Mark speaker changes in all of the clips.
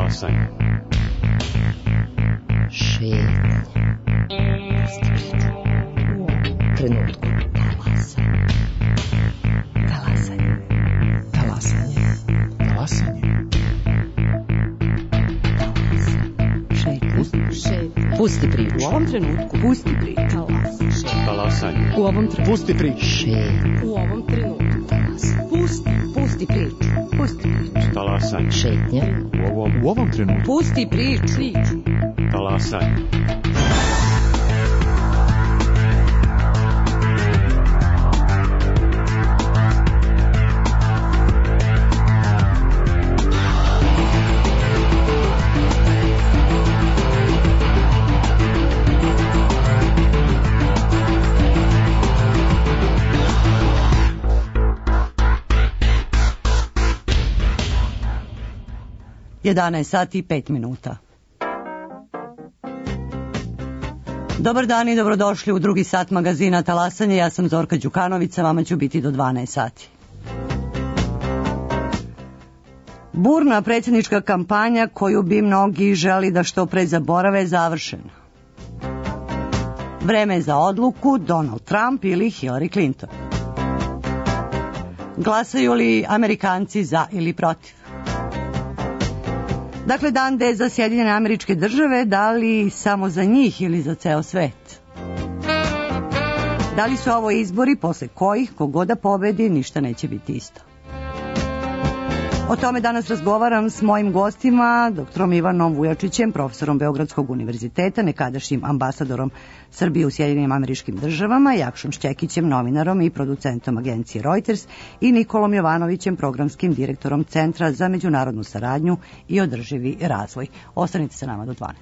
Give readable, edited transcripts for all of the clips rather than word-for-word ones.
Speaker 1: Talasanje.
Speaker 2: Šetnja. U ovom trenutku. Talasanje. Talasanje. Talasanje. Šetnja. Pusti priču. U ovom trenutku. Pusti priču.
Speaker 1: Talasanje.
Speaker 2: U ovom trenutku.
Speaker 3: Pusti priču.
Speaker 2: Šetnja. U ovom trenutku. Pusti priču. Pusti priču.
Speaker 1: Talasanje.
Speaker 2: Šetnja.
Speaker 3: U ovom trenutku.
Speaker 2: Pusti priču.
Speaker 1: Talasanje.
Speaker 4: Sati i 5 minuta. Dobar dan i dobrodošli u drugi sat magazina Talasanje. Ja sam Zorka Đukanović, sa vama ću biti do 12 sati. Burna predsjednička kampanja koju bi mnogi želi da što pre zaborave je završena. Vreme je za odluku Donald Trump ili Hillary Clinton. Glasaju li Amerikanci za ili protiv? Dakle, dan D za Sjedinjene Američke Države, da li samo za njih ili za ceo svet? Da li su ovo izbori posle kojih, kogoda pobedi, ništa neće biti isto? O tome danas razgovaram s mojim gostima, doktorom Ivanom Vujačićem, profesorom Beogradskog univerziteta, nekadašnjim ambasadorom Srbije u Sjedinjenim Američkim Državama, Jakšom Šćekićem, novinarom i producentom agencije Reuters, i Nikolom Jovanovićem, programskim direktorom Centra za međunarodnu saradnju i održivi razvoj. Ostanite sa nama do 12.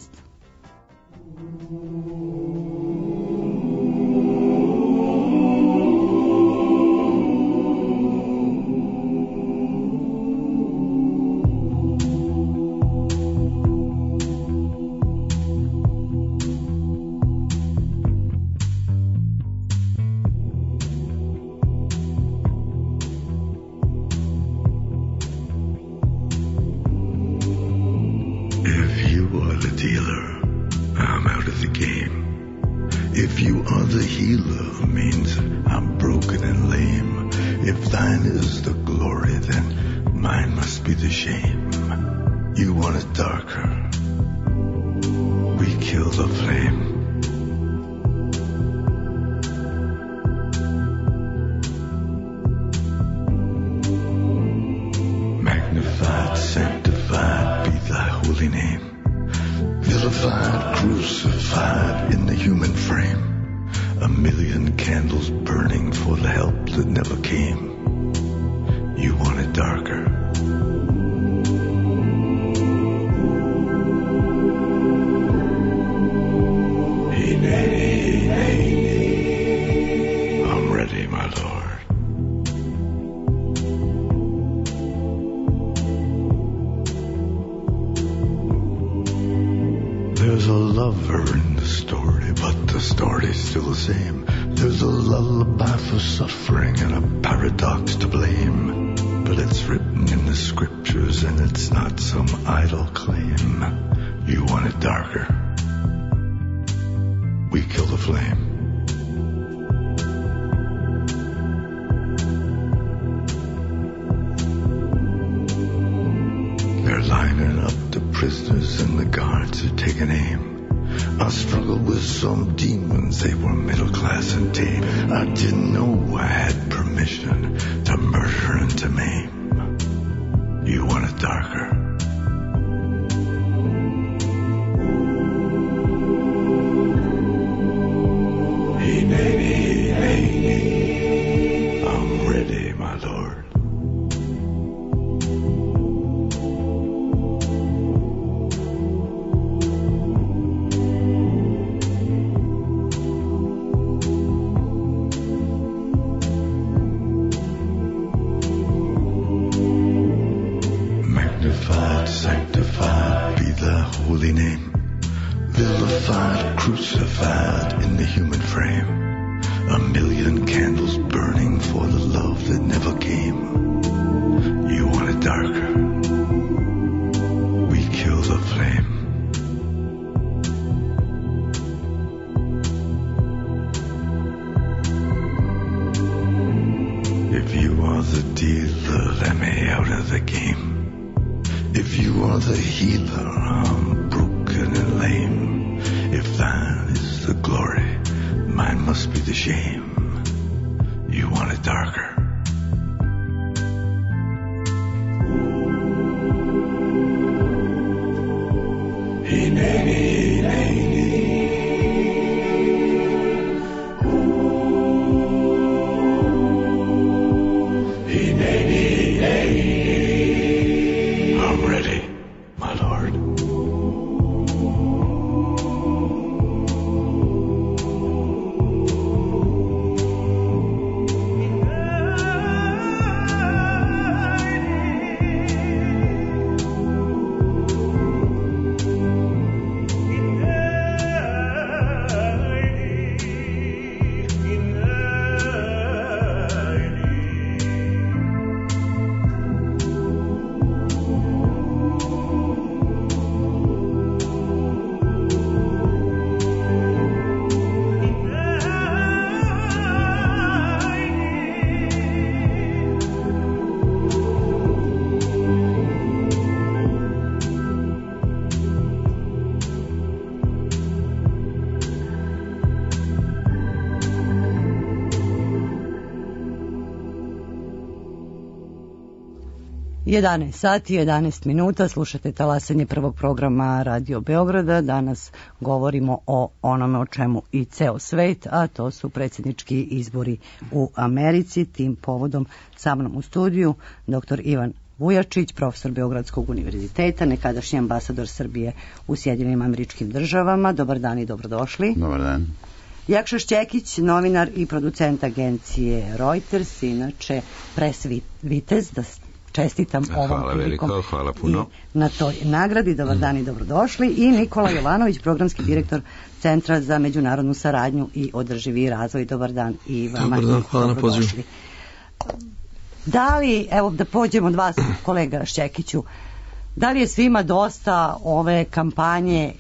Speaker 5: There's a lover in the story, but the story's still the same. There's a lullaby for suffering and a paradox to blame. But it's written in the scriptures and it's not some idle claim. You want it darker? We kill the flame. They're lining up the prisoners and the guards are taking aim. I struggled with some demons, they were middle class and tame. I didn't know I had permission to murder and to maim. You want it darker? Hey, nay, nay, I'm ready, my lord. Sanctified be thy holy name. Vilified, crucified in the human frame. A million candles burning for the love that never came. You want it darker? We kill If you are the dealer, let me out of the game. If you are the healer, I'm broken and lame. If thine is the glory, mine must be the shame. You want it darker. I'm ready, my lord.
Speaker 4: Sati 11 minuta, slušate talasanje prvog programa Radio Beograda. Danas govorimo o onome o čemu i ceo svet, a to su predsjednički izbori u Americi. Tim povodom sa mnom u studiju dr. Ivan Vujačić, profesor Beogradskog univerziteta, nekadašnji ambasador Srbije u Sjedinjenim Američkim Državama. Dobar dan i dobrodošli.
Speaker 3: Dobar dan.
Speaker 4: Jakša Šćekić, novinar i producent agencije Reuters, inače pres vitez, da čestitam ovom prilikom.
Speaker 3: Hvala puno.
Speaker 4: Na toj nagradi, dobar dan i dobrodošli. I Nikola Jovanović, programski direktor Centra za međunarodnu saradnju i održivi razvoj. Dobar dan i vama.
Speaker 6: Dobar dan, hvala na pozivu.
Speaker 4: Da li, evo da pođemo od vas, kolega Šćekiću, da li je svima dosta ove kampanje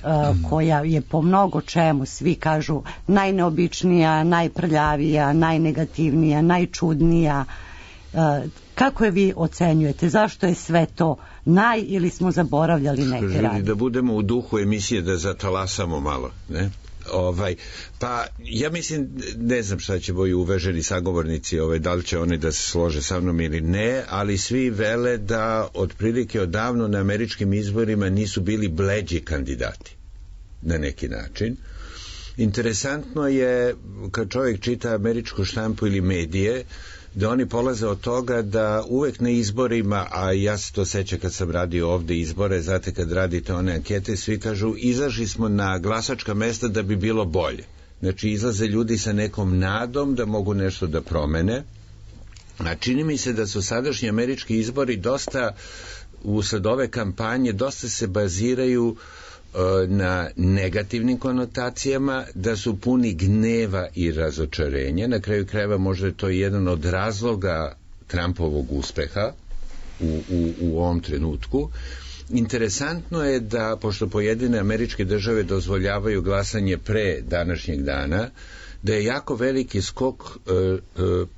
Speaker 4: koja je po mnogo čemu, svi kažu, najneobičnija, najprljavija, najnegativnija, najčudnija? Kako je vi ocenjujete? Zašto je sve to ili smo zaboravljali neke radnje?
Speaker 3: Da budemo u duhu emisije, da zatalasamo malo, ne? Pa ja mislim, ne znam šta će moji uvaženi sagovornici, da li će oni da se slože sa mnom ili ne, ali svi vele da otprilike odavno na američkim izborima nisu bili bleđi kandidati na neki način. Interesantno je kad čovjek čita američku štampu ili medije, da oni polaze od toga da uvek na izborima, a ja se to sećam kad sam radio ovde izbore, znate kad radite one ankete, svi kažu izašli smo na glasačka mesta da bi bilo bolje. Znači izlaze ljudi sa nekom nadom da mogu nešto da promene, a čini mi se da su sadašnji američki izbori dosta, usled ove kampanje, dosta se baziraju na negativnim konotacijama, da su puni gneva i razočarenja. Na kraju krajeva možda je to jedan od razloga Trumpovog uspeha u ovom trenutku. Interesantno je da, pošto pojedine američke države dozvoljavaju glasanje pre današnjeg dana, da je jako veliki skok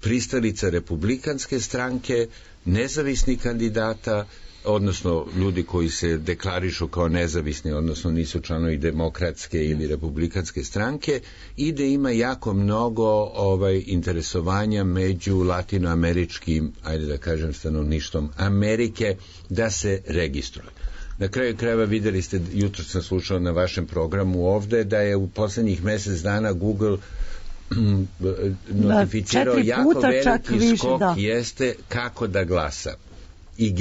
Speaker 3: pristalica republikanske stranke, nezavisnih kandidata, odnosno ljudi koji se deklarišu kao nezavisni, odnosno nisu članovi demokratske ili republikanske stranke, i da ima jako mnogo interesovanja među latinoameričkim, ajde da kažem, stanovništvom Amerike da se registruje. Na kraju krajeva videli ste, jutro sam slušao na vašem programu ovde, da je u poslednjih mesec dana Google notificirao jako veliki skok, jeste kako da glasa.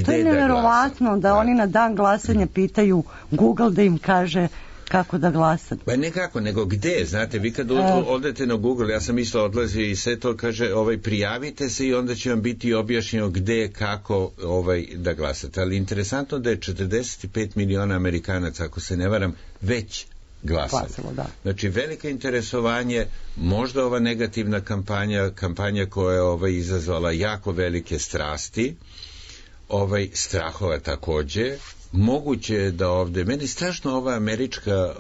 Speaker 4: To je neverovatno da oni na dan glasanja pitaju Google da im kaže kako da glasa.
Speaker 3: Pa ne kako, nego gde, znate, vi kad odete na Google, ja sam isto odlazio i sve to kaže, prijavite se i onda će vam biti objašnjeno gde, kako da glasate. Ali interesantno da je 45 miliona Amerikanaca, ako se ne varam, već glasalo. Znači, veliko interesovanje, možda ova negativna kampanja koja je izazvala jako velike strasti, strahova takođe. Moguće je da ovde, meni strašno ova američka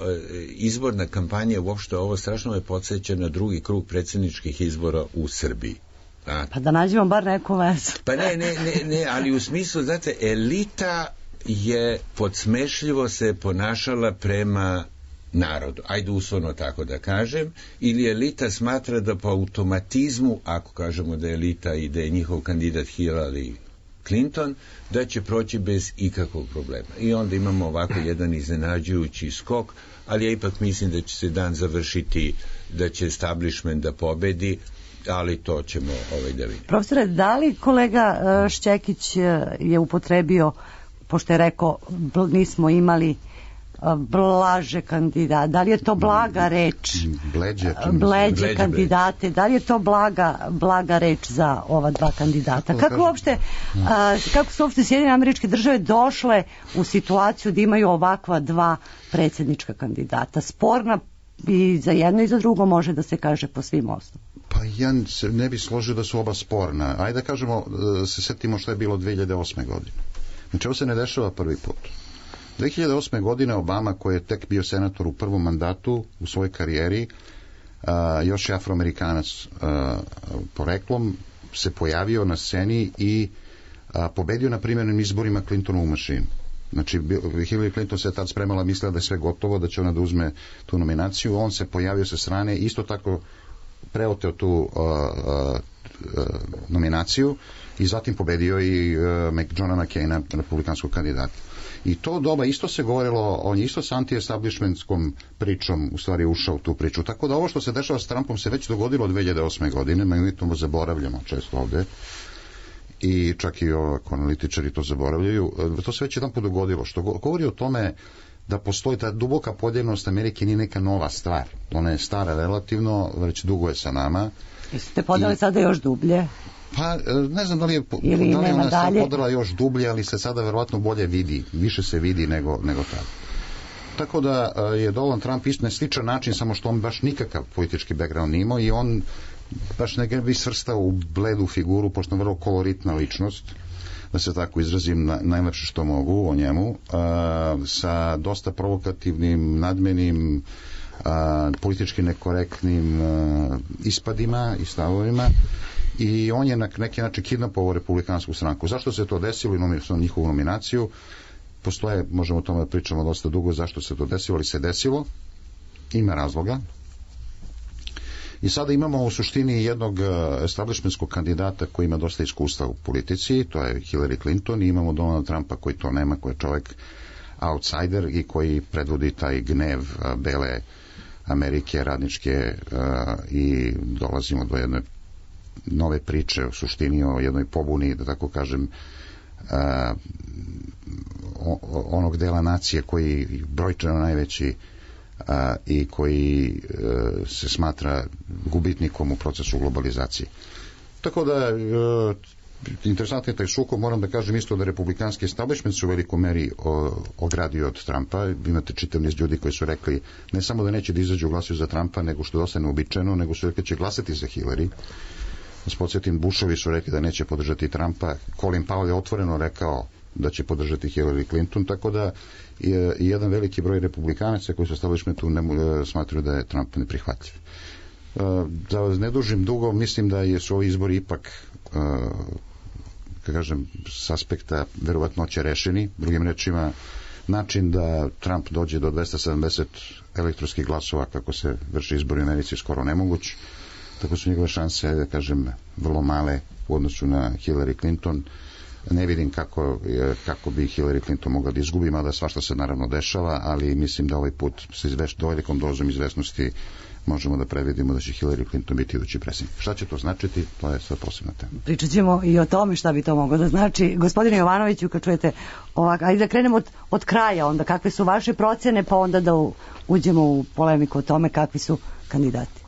Speaker 3: izborna kampanja, uopšte ovo strašno me podsjeća na drugi krug predsjedničkih izbora u Srbiji.
Speaker 4: Pa da nađemo bar neku vezu.
Speaker 3: Pa ne, ali u smislu, znate, elita je podsmešljivo se ponašala prema narodu, ajde uslovno tako da kažem, ili elita smatra da po automatizmu, ako kažemo da je elita i da je njihov kandidat Hillary Clinton, da će proći bez ikakvog problema. I onda imamo ovako jedan iznenađujući skok, ali ja ipak mislim da će se dan završiti, da će establishment da pobedi, ali to ćemo da vidimo.
Speaker 4: Profesore, da li kolega Šćekić je upotrebio, pošto je rekao nismo imali blaže kandidate, da li je to blaga reč? Bleđe kandidate, da li je to blaga reč za ova dva kandidata? Kako su uopšte Sjedinjene Američke Države došle u situaciju da imaju ovakva dva predsjednička kandidata? Sporna i za jedno i za drugo može da se kaže po svim osnovama.
Speaker 6: Pa ja se ne bi složio da su oba sporna. Ajde da kažemo, se setimo što je bilo 2008. godine. Znači ovo se ne dešava prvi put. 2008. godine Obama, koji je tek bio senator u prvom mandatu u svojoj karijeri, još je Afroamerikanac poreklom, se pojavio na sceni i pobedio na primjernim izborima Clintonovu mašinu. Znači, Hillary Clinton se tad spremala, mislila da je sve gotovo, da će ona da uzme tu nominaciju. On se pojavio sa strane, isto tako preoteo tu nominaciju i zatim pobedio i Johna McCaina, republikanskog kandidata. I to doba isto se govorilo, on je isto s anti-establishmentskom pričom u stvari ušao u tu priču. Tako da ovo što se dešava s Trumpom se već dogodilo od 2008. godine, mi to zaboravljamo često ovde. I čak i analitičari to zaboravljaju. To se već jedan put dogodilo, što govori o tome da postoji ta duboka podijeljenost Amerike, nije neka nova stvar. Ona je stara relativno, već dugo je sa nama.
Speaker 4: Jeste podeli sada još dublje?
Speaker 6: Pa ne znam da li je ona sad podela još dublje, ali se sada verovatno bolje vidi, više se vidi nego tada. Tako da je Donald Trump isto na sličan način, samo što on baš nikakav politički background nije imao i on baš ne bi svrstao u bledu figuru, pošto je vrlo koloritna ličnost, da se tako izrazim najlepše što mogu o njemu, sa dosta provokativnim, nadmenim, politički nekorektnim ispadima i stavovima, i on je na neki način kidnapovao republikansku stranku. Zašto se to desilo i njihovu nominaciju? Postoje, možemo o tome pričamo dosta dugo zašto se to desilo, ali se desilo, ima razloga. I sada imamo u suštini jednog establishmentskog kandidata koji ima dosta iskustva u politici, to je Hillary Clinton, i imamo Donald Trumpa koji to nema, koji je čovjek outsider i koji predvodi taj gnev bele Amerike, radničke, i dolazimo do jedne nove priče u suštini o jednoj pobuni, da tako kažem, onog dela nacije koji brojčano najveći i koji se smatra gubitnikom u procesu globalizacije. Tako da interesantno je taj sukob, moram da kažem isto da republikanski establishment su u velikoj meri ogradio od Trumpa. Imate čitav niz ljudi koji su rekli ne samo da neće da izađu glasuju za Trumpa, nego što je dosta neobičajno, nego su rekli da će glasati za Hillary. S podsjetim, Bushovi su rekli da neće podržati Trumpa, Colin Powell je otvoreno rekao da će podržati Hillary Clinton, tako da je jedan veliki broj republikanaca koji su establishmentu smatraju da je Trump neprihvatljiv. Da vas ne dužim dugo, mislim da su ovi izbori ipak, kažem, s aspekta verovatnoće rešeni. Drugim rečima, način da Trump dođe do 270 elektronskih glasova kako se vrši izbori u Americi skoro nemoguć, tako su njegove šanse, da kažem, vrlo male u odnosu na Hillary Clinton. Ne vidim kako bi Hillary Clinton mogla da izgubi, mada svašta se naravno dešava, ali mislim da ovaj put sa velikom dozom izvesnosti možemo da previdimo da će Hillary Clinton biti idući predsjednik. Šta će to značiti, to je sve posebna tema.
Speaker 4: Pričat ćemo i o tome šta bi to moglo da znači. Gospodine Jovanoviću, kad čujete ovako, ajde da krenemo od kraja onda, kakve su vaše procjene, pa onda da uđemo u polemiku o tome kakvi su kandidati.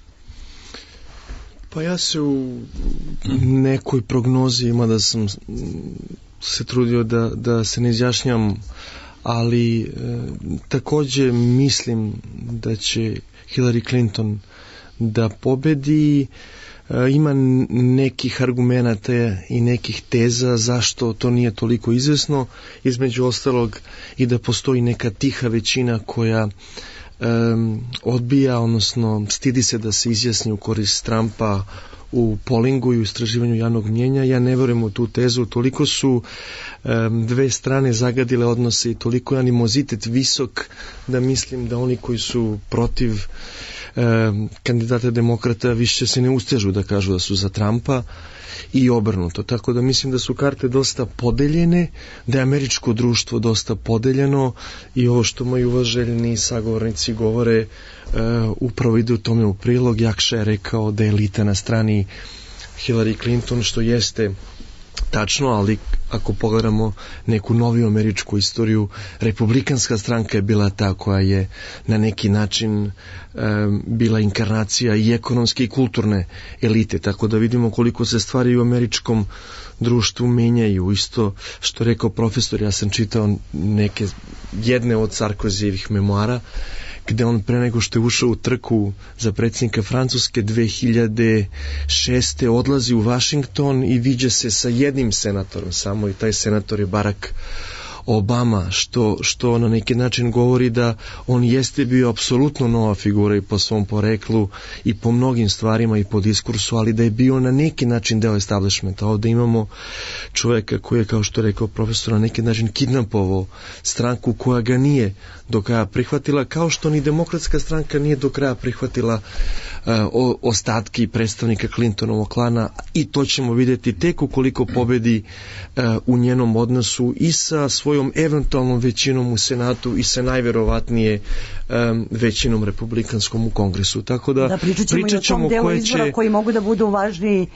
Speaker 7: Pa ja se u nekoj prognozi, mada sam se trudio da se ne izjašnjam, ali takođe mislim da će Hillary Clinton da pobedi. Ima nekih argumenata i nekih teza zašto to nije toliko izvesno, između ostalog i da postoji neka tiha većina koja odbija, odnosno stidi se da se izjasni u korist Trumpa u polingu i u istraživanju javnog mnjenja. Ja ne verujem u tu tezu. Toliko su dve strane zagadile odnose i toliko je animozitet visok da mislim da oni koji su protiv kandidata demokrata više se ne ustežu da kažu da su za Trumpa i obrnuto. Tako da mislim da su karte dosta podeljene, da je američko društvo dosta podeljeno i ovo što moji uvaženi sagovornici govore upravo ide u tome u prilog. Jakša je rekao da je elita na strani Hillary Clinton, što jeste tačno, ali ako pogledamo neku noviju američku istoriju, republikanska stranka je bila ta koja je na neki način bila inkarnacija i ekonomske i kulturne elite, tako da vidimo koliko se stvari u američkom društvu menjaju. Isto što rekao profesor, ja sam čitao jedne od Sarkozijevih memoara, gde on pre nego što je ušao u trku za predsjednika Francuske 2006. odlazi u Washington i viđa se sa jednim senatorom samo, i taj senator je Barack Obama, što na neki način govori da on jeste bio apsolutno nova figura i po svom poreklu i po mnogim stvarima i po diskursu, ali da je bio na neki način deo establishmenta. Ovde imamo čoveka koji je, kao što je rekao profesor, na neki način kidnapovao stranku koja ga nije do kraja prihvatila, kao što ni demokratska stranka nije do kraja prihvatila ostatki i predstavnika Clintonovog klana, i to ćemo vidjeti tek ukoliko pobedi u njenom odnosu i sa svojom eventualnom većinom u Senatu i sa najverovatnije većinom republikanskom u Kongresu. Tako da pričat ćemo o tom delu izbora
Speaker 4: koji mogu da budu važniji.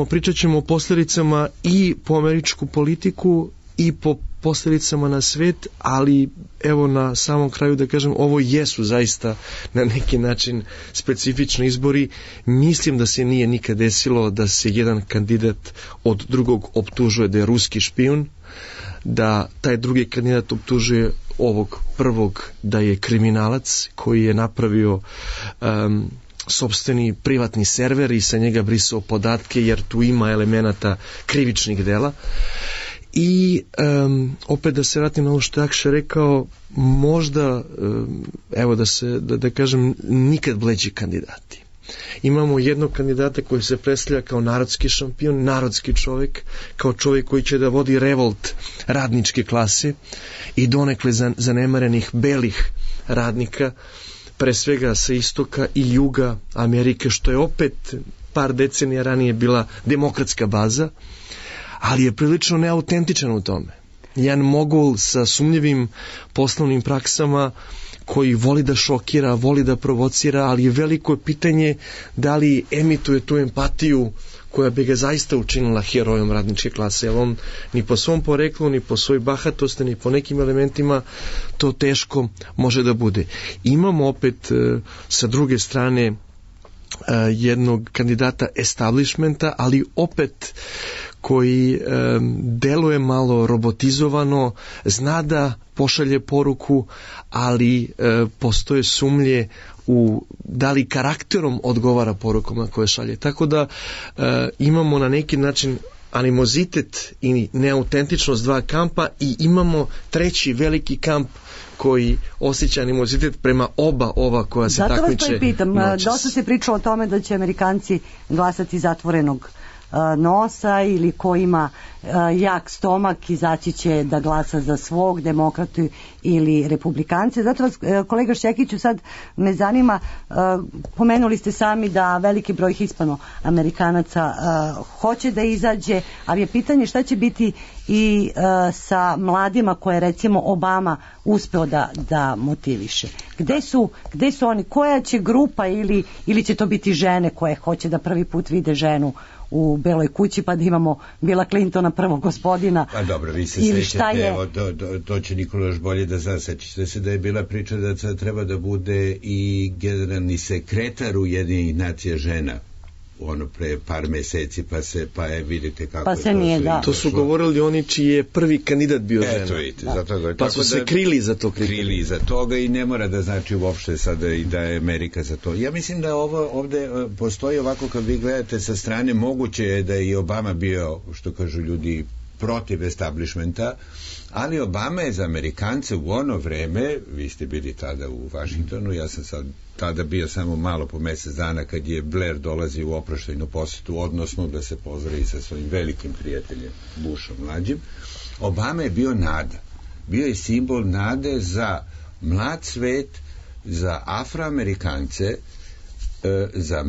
Speaker 7: Pričat ćemo o posljedicama i po američku politiku i po posljedicama na svet, ali evo na samom kraju da kažem, ovo jesu zaista na neki način specifični izbori. Mislim da se nije nikad desilo da se jedan kandidat od drugog optužuje da je ruski špijun, da taj drugi kandidat optužuje ovog prvog da je kriminalac koji je napravio sopstveni privatni server i sa njega brisao podatke, jer tu ima elemenata krivičnih dela. I opet da se vratim na ovo što je Jakša rekao, možda evo da kažem, nikad bleđi kandidati. Imamo jednog kandidata koji se predstavlja kao narodski šampion, narodski čovjek, kao čovjek koji će da vodi revolt radničke klase i donekle zanemarenih belih radnika, pre svega sa istoka i juga Amerike, što je opet par decenija ranije bila demokratska baza, ali je prilično neautentičan u tome. Jedan mogul sa sumnjivim poslovnim praksama koji voli da šokira, voli da provocira, ali je veliko pitanje da li emituje tu empatiju koja bi ga zaista učinila herojom radničke klase, jer on ni po svom poreklu, ni po svoj bahatosti, ni po nekim elementima to teško može da bude. Imamo opet sa druge strane jednog kandidata establishmenta, ali opet koji deluje malo robotizovano, zna da pošalje poruku, ali postoje sumnje u da li karakterom odgovara porukama koje šalje. Tako da imamo na neki način animozitet i neautentičnost dva kampa, i imamo treći veliki kamp koji osjeća animozitet prema oba ova koja se takmiče.
Speaker 4: Zato vas to i pitam, dosta se pričalo o tome da će Amerikanci glasati zatvorenog nosa, ili ko ima jak stomak izaći će da glasa za svog demokratu ili republikance. Zato vas, kolega Šćekiću, sad me zanima, pomenuli ste sami da veliki broj Hispanoamerikanaca hoće da izađe, ali je pitanje šta će biti i sa mladima koje recimo Obama uspeo da motiviše. Gde su oni? Koja će grupa, ili će to biti žene koje hoće da prvi put vide ženu u Beloj kući, pa da imamo Billa Clintona, prvog gospodina.
Speaker 3: Pa dobro, vi se sećate, evo, to će Nikola još bolje da zna. Sećate se da je bila priča da treba da bude i generalni sekretar Ujedinjenih nacija žena, ono pre par meseci, pa vidite kako
Speaker 4: pa se nije, da.
Speaker 7: To su govorili oni čiji je prvi kandidat bio žena.
Speaker 3: Eto vidite, zato
Speaker 7: pa su se krili za to.
Speaker 3: Krili iza toga, i ne mora da znači uopšte sada i da je Amerika za to. Ja mislim da ovde postoji ovako, kad vi gledate sa strane, moguće je da je i Obama bio, što kažu ljudi, protiv establishmenta, ali Obama je za Amerikance u ono vreme, vi ste bili tada u Vašingtonu, ja sam sad tada bio samo malo po mjesec dana kad je Blair dolazi u oproštajnu posjetu, odnosno da se pozdravi sa svojim velikim prijateljem Bushom mlađim. Obama je bio nada. Bio je simbol nade za mlad svet, za Afroamerikance, za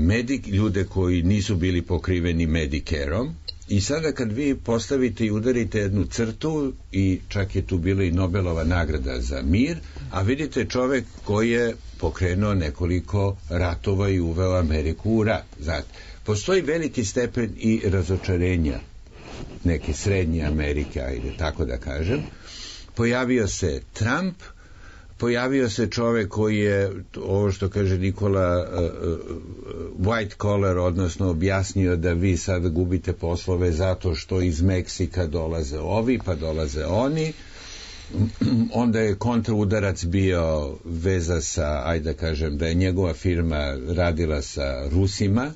Speaker 3: ljude koji nisu bili pokriveni Medicareom. I sada kad vi postavite i udarite jednu crtu, i čak je tu bila i Nobelova nagrada za mir, a vidite čovek koji je pokrenuo nekoliko ratova i uveo Ameriku u rat. Znate, postoji veliki stepen i razočarenja neke srednje Amerike, ajde tako da kažem. Pojavio se Trump, pojavio se čovek koji je, ovo što kaže Nikola, white collar, odnosno objasnio da vi sad gubite poslove zato što iz Meksika dolaze ovi, pa dolaze oni. Onda je kontraudarac bio veza sa, ajde da kažem, da je njegova firma radila sa Rusima.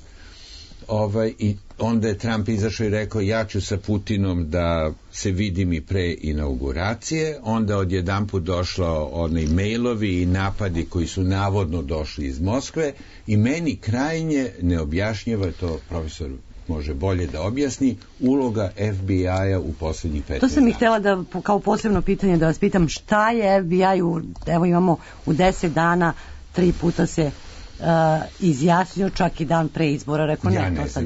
Speaker 3: I onda je Trump izašao i rekao ja ću sa Putinom da se vidim i pre inauguracije. Onda odjedanput došlo oni mailovi i napadi koji su navodno došli iz Moskve i meni krajnje neobjašnjava, to profesor može bolje da objasni, uloga FBI-a u posljednjih 15 dana.
Speaker 4: To sam i htjela da, kao posebno pitanje da vas pitam, šta je FBI evo imamo u 10 dana 3 puta se izjasnio, čak i dan pre izbora, rekao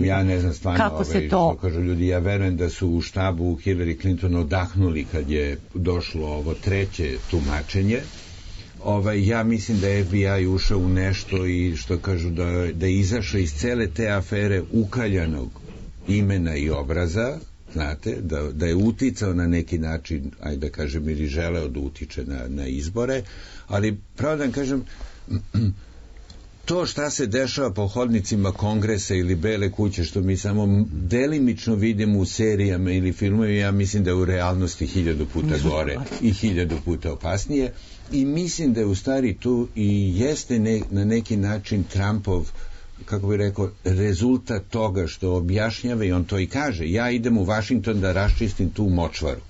Speaker 3: ja ne znam stvarno
Speaker 4: kako se to...
Speaker 3: što kažu ljudi, ja verujem da su u štabu Hillary Clinton odahnuli kad je došlo ovo treće tumačenje. Ja mislim da je FBI ušao u nešto i što kažu da je izašao iz cele te afere ukaljanog imena i obraza, znate, da je uticao na neki način, ajde da kažem, ili želeo da utiče na izbore, ali pravo da vam kažem, to šta se dešava po hodnicima Kongresa ili Bele kuće, što mi samo delimično vidimo u serijama ili filmovima, ja mislim da je u realnosti 1000 puta gore i 1000 puta opasnije, i mislim da je u stvari tu i jeste na neki način Trumpov, kako bi rekao, rezultat toga što objašnjava, i on to i kaže, ja idem u Washington da raščistim tu močvaru.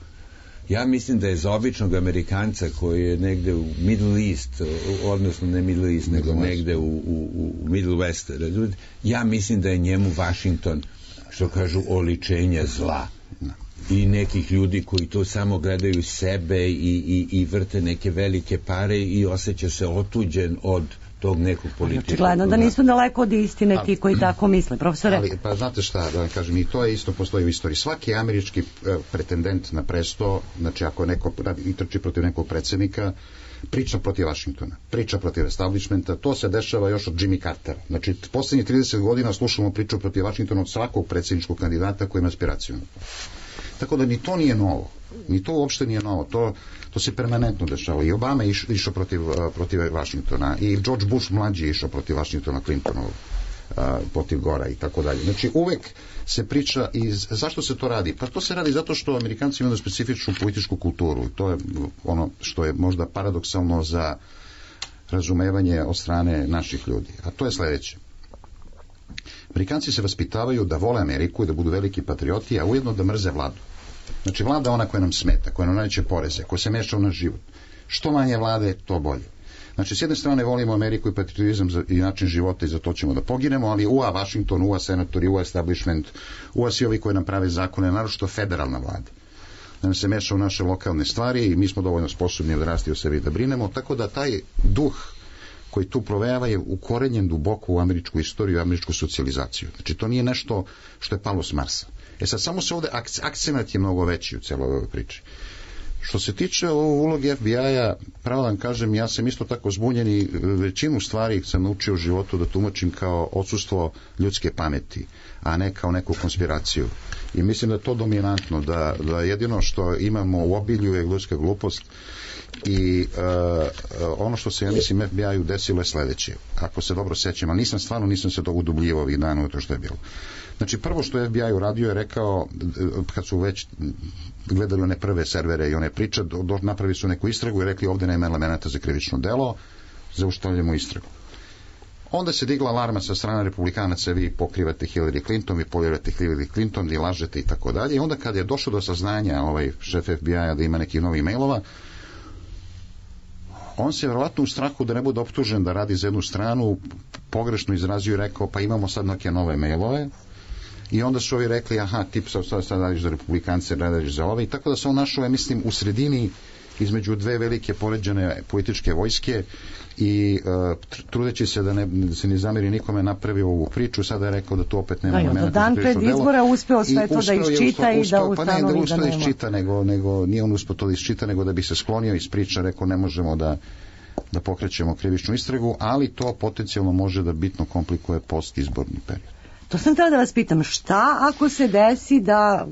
Speaker 3: Ja mislim da je za običnog Amerikanca koji je negde u Middle East, odnosno ne Middle East, nego negde u Middle West, ja mislim da je njemu Washington, što kažu, oličenje zla. I nekih ljudi koji to samo gledaju sebe i vrte neke velike pare i osjeća se otuđen od tog nekog političkog.
Speaker 4: Očigledno da nisu daleko od istine ti koji tako misle, profesore.
Speaker 6: Ali, pa znate šta, da vam kažem, i to je isto postoji u istoriji. Svaki američki pretendent na presto, znači ako neko i trči protiv nekog predsjednika, priča protiv Vašingtona, priča protiv establishmenta, to se dešava još od Jimmy Cartera. Znači, posljednjih 30 godina slušamo priču protiv Vašingtona od svakog predsjedničkog kandidata koji ima aspiraciju. Tako da ni to nije novo. Ni to uopšte nije novo. To se permanentno dešava. I Obama je išao protiv Vašingtona. I George Bush mlađi je išao protiv Vašingtona, Clintonov, protiv Gora i tako dalje. Znači uvek se priča zašto se to radi? Pa to se radi zato što Amerikanci imaju specifičnu političku kulturu. To je ono što je možda paradoksalno za razumevanje od strane naših ljudi. A to je sledeće. Amerikanci se vaspitavaju da vole Ameriku i da budu veliki patrioti, a ujedno da mrze vladu. Znači vlada ona koja nam smeta, koja nam nameće poreze, koja se meša u naš život. Što manje vlade, to bolje. Znači, s jedne strane volimo Ameriku i patriotizam i način života i za to ćemo da poginemo, ali UA Washington, UA senatori, UA establishment, UA svi ovi koji nam prave zakone, naročito federalna vlada. Da nam se meša u naše lokalne stvari i mi smo dovoljno sposobni odrasti o sebi da brinemo, tako da taj duh koji tu provejava je ukorenjen duboko u američku istoriju i američku socijalizaciju. Znači, to nije nešto što je palo s Marsa. Sad, samo se ovde akcenat je mnogo veći u celoj ovoj priči. Što se tiče uloge FBI-a, pravo vam kažem, ja sam isto tako zbunjen i većinu stvari sam naučio u životu da tumačim kao odsustvo ljudske pameti, a ne kao neku konspiraciju. I mislim da je to dominantno, da jedino što imamo u obilju je ljudska glupost i ono što se, ja mislim, FBI-u desilo je sledeće. Ako se dobro sećam, ali nisam se to udubljivao ovih dana u to što je bilo. Znači, prvo što je FBI uradio je rekao, kad su već gledali one prve servere i one priče, napravili su neku istragu i rekli ovde nema elemenata za krivično delo, zaustavljamo istragu. Onda se digla alarma sa strane republikanaca, vi pokrivate Hillary Clinton, vi polirate Hillary Clinton, vi lažete i tako dalje. I onda kad je došlo do saznanja šef FBI-a da ima nekih novih mailova, on se vjerovatno u strahu da ne bude optužen da radi za jednu stranu pogrešno izrazio i rekao pa imamo sad neke nove mailove. I onda su ovi rekli, aha, ti sad radiš za republikance, radiš za ove. I tako da se on našao, mislim, u sredini između dve velike poređane političke vojske i trudeći se da se ne zameri nikome napravio ovu priču, sada je rekao da tu opet nema momenta.
Speaker 4: Dan pred izbora uspeo sve to da iščita i da ustanovi da nema. Pa ne da uspeo da iščita, nego nije on uspeo to da iščita, nego da bi se sklonio iz priča, rekao ne možemo da pokrećemo krivičnu istragu, ali to potencijalno može da bitno komplikuje postizborni period. To sam htjela da vas pitam, šta ako se desi da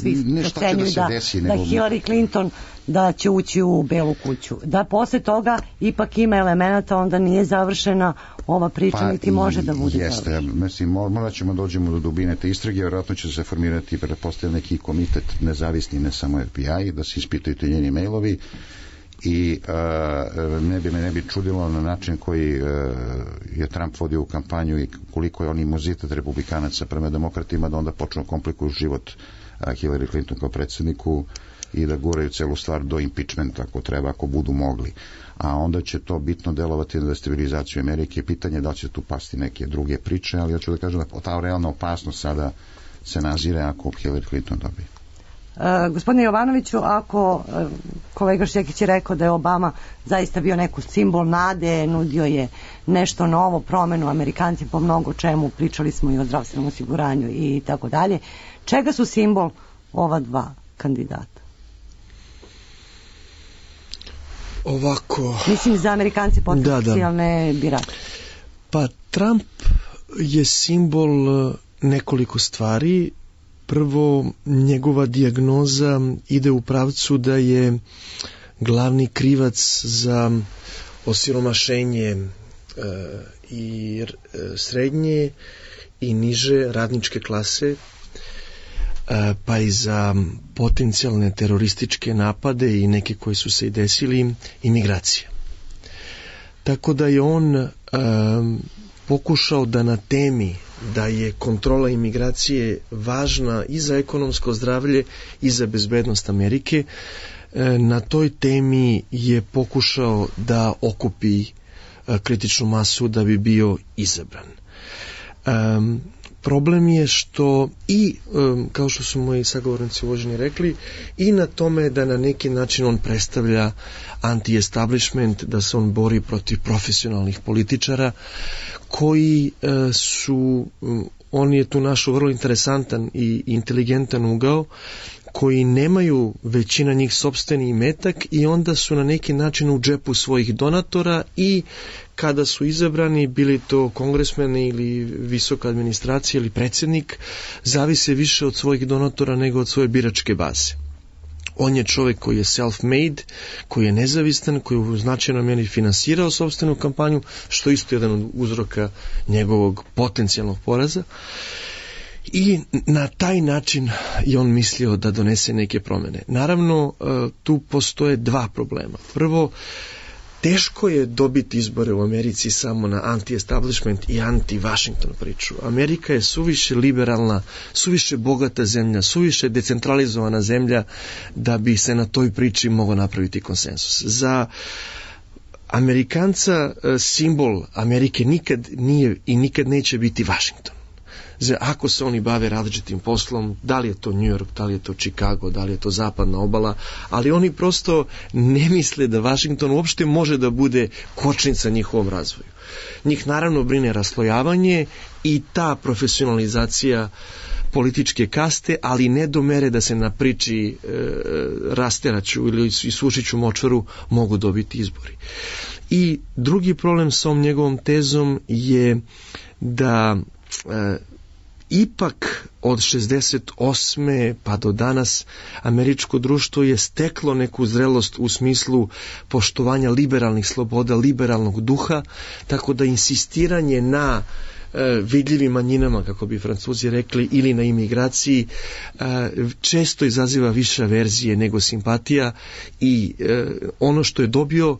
Speaker 4: svi procenjuju da Hillary Clinton da će ući u Belu kuću, da posle toga ipak ima elemenata, onda nije završena ova priča, niti može da bude
Speaker 6: završena. Jeste, mislim, morat ćemo dođemo do dubine te istrage, vjerojatno će se formirati pretpostavljam neki komitet nezavisni, ne samo FBI, da se ispitaju te njeni mailovi i ne bi čudilo na način koji je Trump vodio u kampanju i koliko je on imunitet republikanaca prema demokratima, da onda počnu komplikuju život Hillary Clinton kao predsjedniku i da guraju celu stvar do impeachmenta ako treba, ako budu mogli. A onda će to bitno delovati na destabilizaciju Amerike. Pitanje je da li će tu pasti neke druge priče, ali ja ću da kažem da ta realna opasnost sada se nazire ako Hillary Clinton dobije.
Speaker 4: Gospodine Jovanoviću, ako kolega Šćekić je rekao da je Obama zaista bio neko simbol nade, nudio je nešto novo, promenu, Amerikanci po mnogo čemu, pričali smo i o zdravstvenom osiguranju i tako dalje, čega su simbol ova dva kandidata?
Speaker 7: Ovako...
Speaker 4: Mislim za Amerikanci potencijalne birače.
Speaker 7: Pa Trump je simbol nekoliko stvari. Prvo, njegova dijagnoza ide u pravcu da je glavni krivac za osiromašenje i srednje i niže radničke klase, pa i za potencijalne terorističke napade i neke koji su se i desili, imigracije. Tako da je on pokušao da na temi da je kontrola imigracije važna i za ekonomsko zdravlje i za bezbednost Amerike, na toj temi je pokušao da okupi kritičnu masu da bi bio izabran. Problem je što i, kao što su moji sagovornici uvaženi rekli, i na tome da na neki način on predstavlja anti-establishment, da se on bori protiv profesionalnih političara koji su, on je tu našao vrlo interesantan i inteligentan ugao, koji nemaju većina njih sopstveni imetak i onda su na neki način u džepu svojih donatora i kada su izabrani, bili to kongresmeni ili visoka administracija ili predsjednik, zavise više od svojih donatora nego od svoje biračke baze. On je čovjek koji je self-made, koji je nezavistan, koji je u značajnoj mjeri finansirao sopstvenu kampanju, što je isto jedan od uzroka njegovog potencijalnog poraza. I na taj način je on mislio da donese neke promjene. Naravno, tu postoje dva problema. Prvo, teško je dobiti izbore u Americi samo na anti-establishment i anti-Washington priču. Amerika je suviše liberalna, suviše bogata zemlja, suviše decentralizovana zemlja da bi se na toj priči mogao napraviti konsensus. Za Amerikanca simbol Amerike nikad nije i nikad neće biti Washington. Ako se oni bave različitim poslom, da li je to New York, da li je to Chicago, da li je to zapadna obala, ali oni prosto ne misle da Washington uopšte može da bude kočnica njihovom razvoju. Njih naravno brine raslojavanje i ta profesionalizacija političke kaste, ali ne do mere da se na priči rasteraću ili isušiću močvaru mogu dobiti izbori. I drugi problem s ovom njegovom tezom je da ipak od 68. pa do danas američko društvo je steklo neku zrelost u smislu poštovanja liberalnih sloboda, liberalnog duha, tako da insistiranje na vidljivim manjinama, kako bi Francuzi rekli, ili na imigraciji često izaziva više averzije nego simpatija i ono što je dobio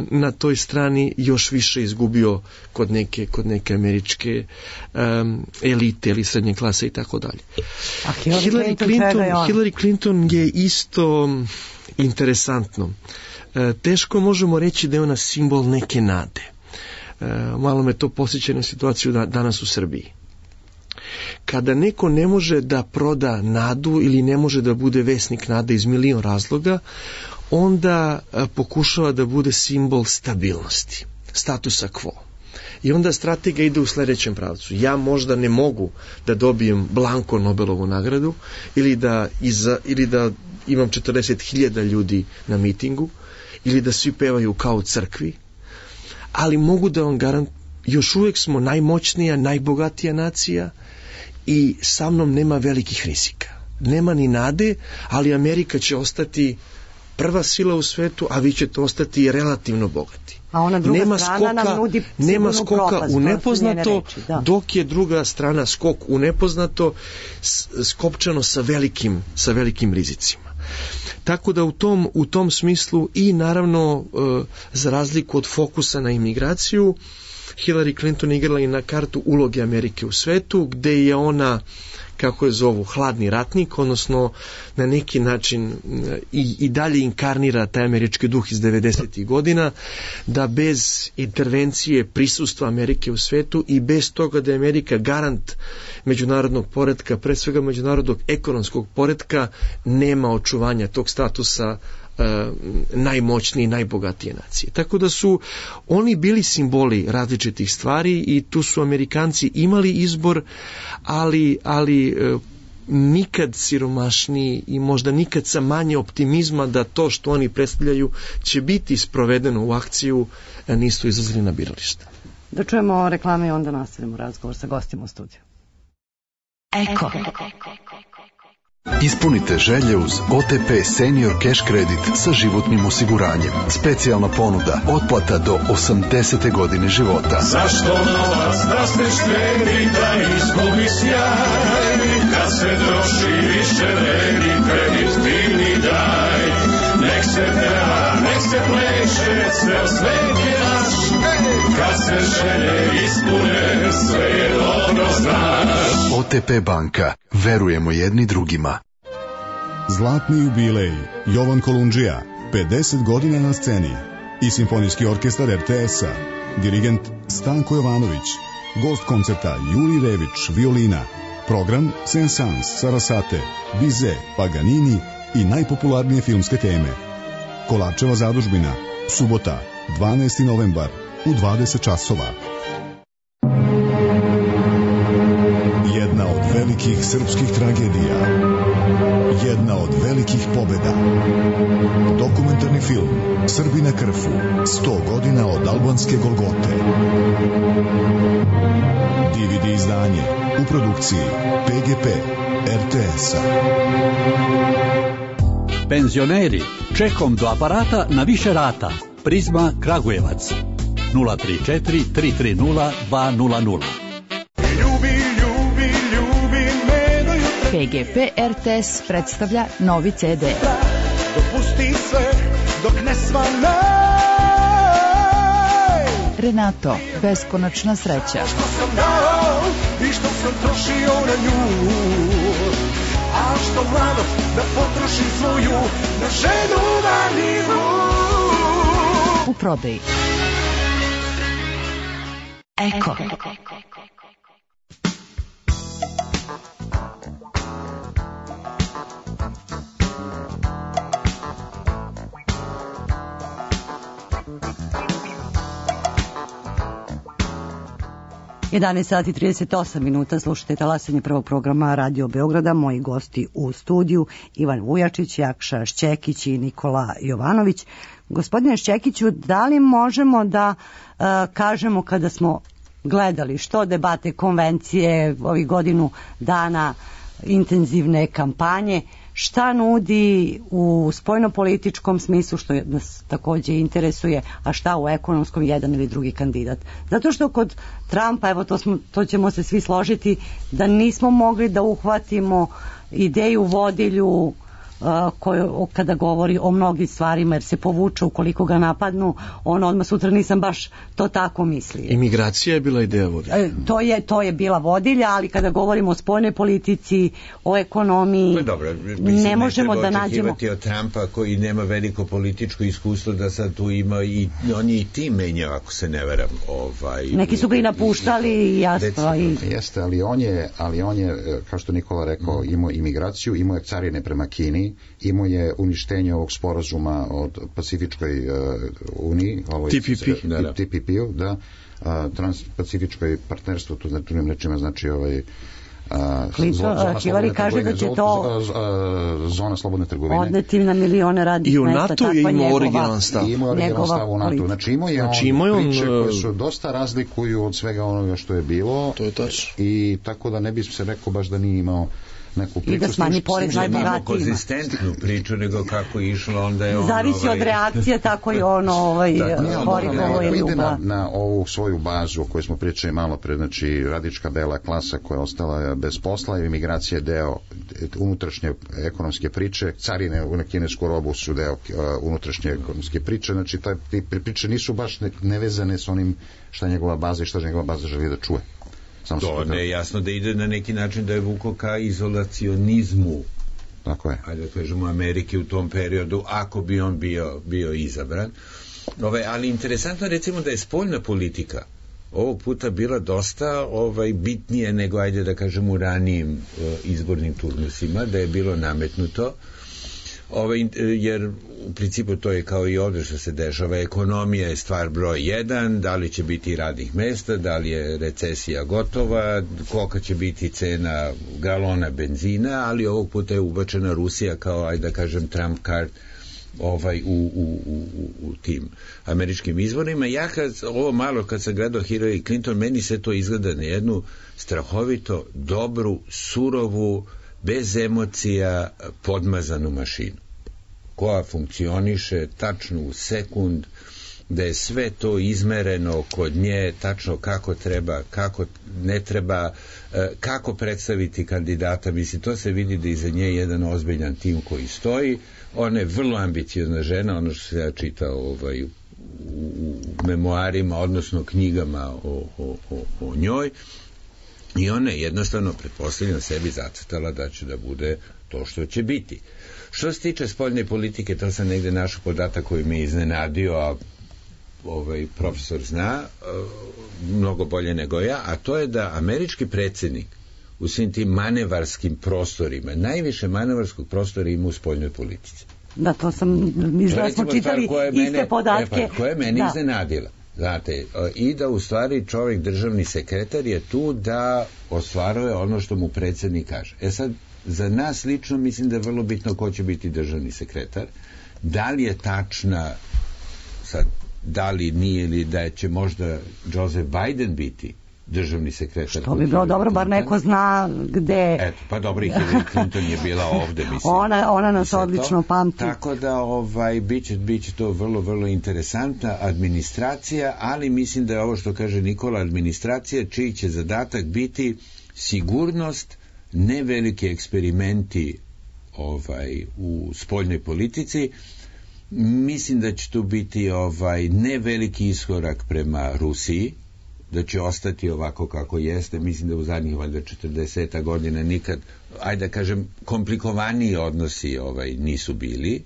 Speaker 7: na toj strani još više izgubio kod neke američke elite ili srednje klase i tako dalje. Hillary Clinton je isto interesantno. Teško možemo reći da je ona simbol neke nade. Malo me to posjeća na situaciju danas u Srbiji. Kada neko ne može da proda nadu ili ne može da bude vesnik nade iz milion razloga, onda pokušava da bude simbol stabilnosti, statusa quo. I onda strategija ide u sljedećem pravcu. Ja možda ne mogu da dobijem blanko Nobelovu nagradu ili da imam 40.000 ljudi na mitingu ili da svi pevaju kao u crkvi, ali mogu da vam garantujem, još uvijek smo najmoćnija, najbogatija nacija i sa mnom nema velikih rizika. Nema ni nade, ali Amerika će ostati prva sila u svetu, a vi ćete ostati relativno bogati.
Speaker 4: A ona druga strana nam nudi
Speaker 7: nema skoka u nepoznato, dok je druga strana skok u nepoznato, skopčano sa velikim rizicima. Tako da u tom smislu i naravno za razliku od fokusa na imigraciju, Hillary Clinton igrala i na kartu uloge Amerike u svetu, gde je ona, kako je zovu, hladni ratnik, odnosno na neki način i dalje inkarnira taj američki duh iz 90. godina, da bez intervencije prisustva Amerike u svetu i bez toga da je Amerika garant međunarodnog poretka, pre svega međunarodnog ekonomskog poretka, nema očuvanja tog statusa najmoćnije i najbogatije nacije. Tako da su oni bili različitih stvari i tu su Amerikanci imali izbor, ali nikad siromašniji i možda nikad sa manje optimizma da to što oni predstavljaju će biti sprovedeno u akciju, nisu izlazili na biralište.
Speaker 4: Da čujemo reklame i onda nastavimo razgovor sa gostima u studiju.
Speaker 8: Eko. Ispunite želje uz OTP Senior Cash Credit sa životnim osiguranjem. Specijalna ponuda, otplata do 80. godine života.
Speaker 9: Zašto novac da se štedi, da izgubi sjaj? Kad se troši više vredi, kredit divni daj. Nek se peva, nek se pleše, ceo svet je naš. Kad se želje ispune, sve je dobro znaš.
Speaker 8: OTP banka, verujemo jedni drugima.
Speaker 10: Zlatni jubilej Jovan Kolundžija, 50 godina na sceni i Simfonijski orkestar RTS-a, dirigent Stanko Jovanović, gost koncerta Juri Rević, violina, program Saint-Saëns, Sarasate, Bizet, Paganini i najpopularnije filmske teme. Kolarčeva zadužbina, subota, 12. novembar u 20 časova. Jedna od velikih srpskih tragedija. Jedna od velikih pobjeda. Dokumentarni film Srbi na Krfu, 100 godina od albanske Golgote. DVD izdanje u produkciji PGP RTS-a.
Speaker 11: Penzioneri, čekom do aparata na više rata. Prizma Kragujevac 034 330 200.
Speaker 12: PGP RTS predstavlja novi CD.
Speaker 9: Dopusti sve dok ne svane.
Speaker 12: Renato, beskonačna sreća.
Speaker 9: Što sam dao i što sam trošio na nju. A što mlado da potrošim svoju na ženu vaniju.
Speaker 12: U prodaji. Eko.
Speaker 4: 11 sati 38 minuta, slušate talasanje prvog programa Radio Beograda. Moji gosti u studiju Ivan Vujačić, Jakša Šćekić i Nikola Jovanović. Gospodine Šćekiću, da li možemo da kažemo kada smo gledali što debate, konvencije, ovih godinu dana intenzivne kampanje, šta nudi u spoljnopolitičkom smislu, što nas takođe interesuje, a šta u ekonomskom, jedan ili drugi kandidat? Zato što kod Trumpa, evo to ćemo se svi složiti, da nismo mogli da uhvatimo ideju vodilju kada govori o mnogim stvarima, jer se povuče ukoliko ga napadnu, on odmah sutra nisam baš to tako mislio.
Speaker 7: Imigracija je bila ideja vodilja.
Speaker 4: To je bila vodilja, ali kada govorimo o spoljnoj politici, o ekonomiji,
Speaker 3: dobro,
Speaker 4: ne možemo da nađemo...
Speaker 3: Ne treba očekivati od Trumpa koji nema veliko političko iskustvo da sad tu ima i on je i tim menjao, ako se ne veram.
Speaker 4: Neki su ga i napuštali, jasno.
Speaker 6: Jeste, ali on je, kao što Nikola rekao, imao imigraciju, imao je carine prema Kini, imao je uništenje ovog sporazuma od Pacifičkoj uniji, TPP-u, da, Transpacifičkoj partnerstvu, to znači drugim rečima, znači
Speaker 4: Hillary kaže da će to
Speaker 6: zona slobodne trgovine
Speaker 4: odneti na milione radnih mesta.
Speaker 7: I u NATO je imao originalan stav.
Speaker 6: Imao originalan stav u NATO. Znači imao je on priče koje su dosta razlikuju od svega onoga što je bilo.
Speaker 7: To je tačno.
Speaker 6: I tako da ne bi se rekao baš da nije imao neku priču.
Speaker 4: I da smanji porez najbogatijima.
Speaker 3: Konzistentnu priču, nego kako je išlo, onda je on...
Speaker 4: Zavisi od reakcije, tako i ono korigovo je ljubav.
Speaker 6: Na ovu svoju bazu o kojoj smo pričali malo pre, znači radička bela klasa koja je ostala bez posla i imigracija je deo unutrašnje ekonomske priče, carine na kinesku robu su deo unutrašnje ekonomske priče, znači te priče nisu baš nevezane s onim šta njegova baza i šta njegova baza želi da čuje.
Speaker 3: To ne je jasno da ide na neki način da je vuko ka izolacionizmu.
Speaker 6: Tako je.
Speaker 3: Ajde da kažemo Amerike u tom periodu, ako bi on bio izabran. Ali interesantno recimo da je spoljna politika ovog puta bila dosta bitnije nego, ajde da kažemo, u ranijim izbornim turnusima, da je bilo nametnuto. Jer u principu to je kao i ovdje što se dešava, ekonomija je stvar broj 1, da li će biti radnih mesta, da li je recesija gotova, kolika će biti cena galona benzina, ali ovog puta je ubačena Rusija kao, ajde da kažem, trump card u tim američkim izborima. Ja kad sam gledao Hillary Clinton, meni se to izgleda na jednu strahovito dobru, surovu, bez emocija podmazanu mašinu koja funkcioniše tačno u sekund, da je sve to izmereno kod nje, tačno kako treba, kako ne treba, kako predstaviti kandidata. Mislim, to se vidi da iza nje jedan ozbiljan tim koji stoji. Ona je vrlo ambiciozna žena, ono što se ja čitao u memoarima, odnosno knjigama o njoj. I ona je jednostavno, pretpostavljeno, sebi zacrtala da će da bude to što će biti. Što se tiče spoljne politike, to sam negde našao podatak koji me iznenadio, a profesor zna mnogo bolje nego ja, a to je da američki predsjednik u svim tim manevarskim prostorima, najviše manevarskog prostora ima u spoljnoj politici.
Speaker 4: Da, to sam, da smo čitali iste podatke.
Speaker 3: Koja je meni iznenadila. Znate, i da u stvari čovjek, državni sekretar, je tu da ostvaruje ono što mu predsjednik kaže. Sad, za nas lično mislim da je vrlo bitno ko će biti državni sekretar. Da li je tačna, sad, da li nije, ili da će možda Joseph Biden biti državni sekretar.
Speaker 4: Što bi bilo dobro, bar neko zna gde...
Speaker 3: Eto, pa dobro, i Hillary Clinton je bila ovde, mislim.
Speaker 4: Ona nas odlično pamti.
Speaker 3: Tako da, biće to vrlo, vrlo interesantna administracija, ali mislim da je ovo što kaže Nikola, administracija čiji će zadatak biti sigurnost, ne veliki eksperimenti u spoljnoj politici. Mislim da će tu biti ne veliki iskorak prema Rusiji, da će ostati ovako kako jeste. Mislim da u zadnjih valjda 40 godina nikad, ajde da kažem, komplikovaniji odnosi nisu bili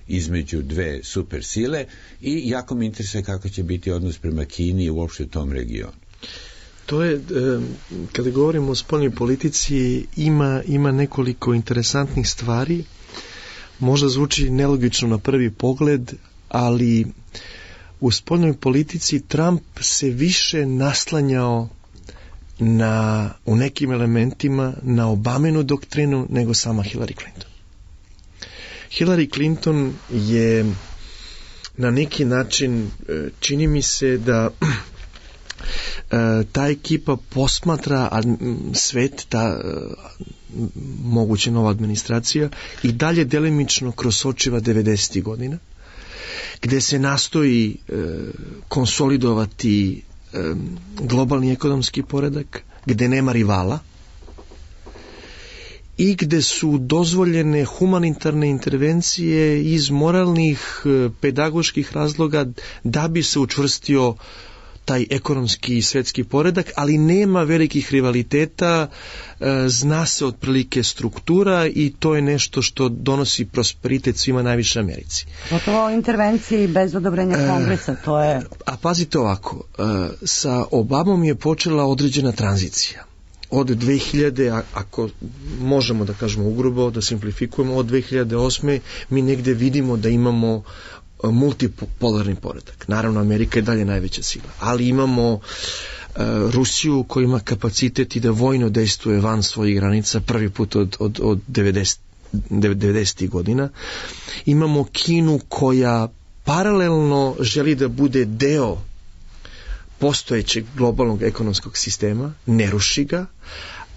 Speaker 3: između dve super sile, i jako mi interesuje kako će biti odnos prema Kini i uopšte u tom regionu.
Speaker 7: To je, kada govorimo o spoljnoj politici, ima nekoliko interesantnih stvari. Možda zvuči nelogično na prvi pogled, ali u spoljnoj politici Trump se više naslanjao u nekim elementima na Obaminu doktrinu nego sama Hillary Clinton. Hillary Clinton je na neki način, čini mi se da ta ekipa posmatra svet, ta moguće nova administracija, i dalje delimično kroz očiva 90. godina, gde se nastoji konsolidovati globalni ekonomski poredak, gde nema rivala, i gde su dozvoljene humanitarne intervencije iz moralnih, pedagoških razloga da bi se učvrstio taj ekonomski i svetski poredak, ali nema velikih rivaliteta, zna se otprilike struktura i to je nešto što donosi prosperitet svima, najviše Americi.
Speaker 4: Gotovo intervenciji bez odobrenja kongresa, to je...
Speaker 7: A pazite ovako, sa Obamom je počela određena tranzicija. Od 2000, ako možemo da kažemo ugrubo, da simplifikujemo, od 2008. mi negde vidimo da imamo multipolarni poredak. Naravno, Amerika je dalje najveća sila, ali imamo Rusiju koja ima kapacitet i da vojno dejstvuje van svojih granica prvi put od 90. godina. Imamo Kinu koja paralelno želi da bude deo postojećeg globalnog ekonomskog sistema, ne ruši ga,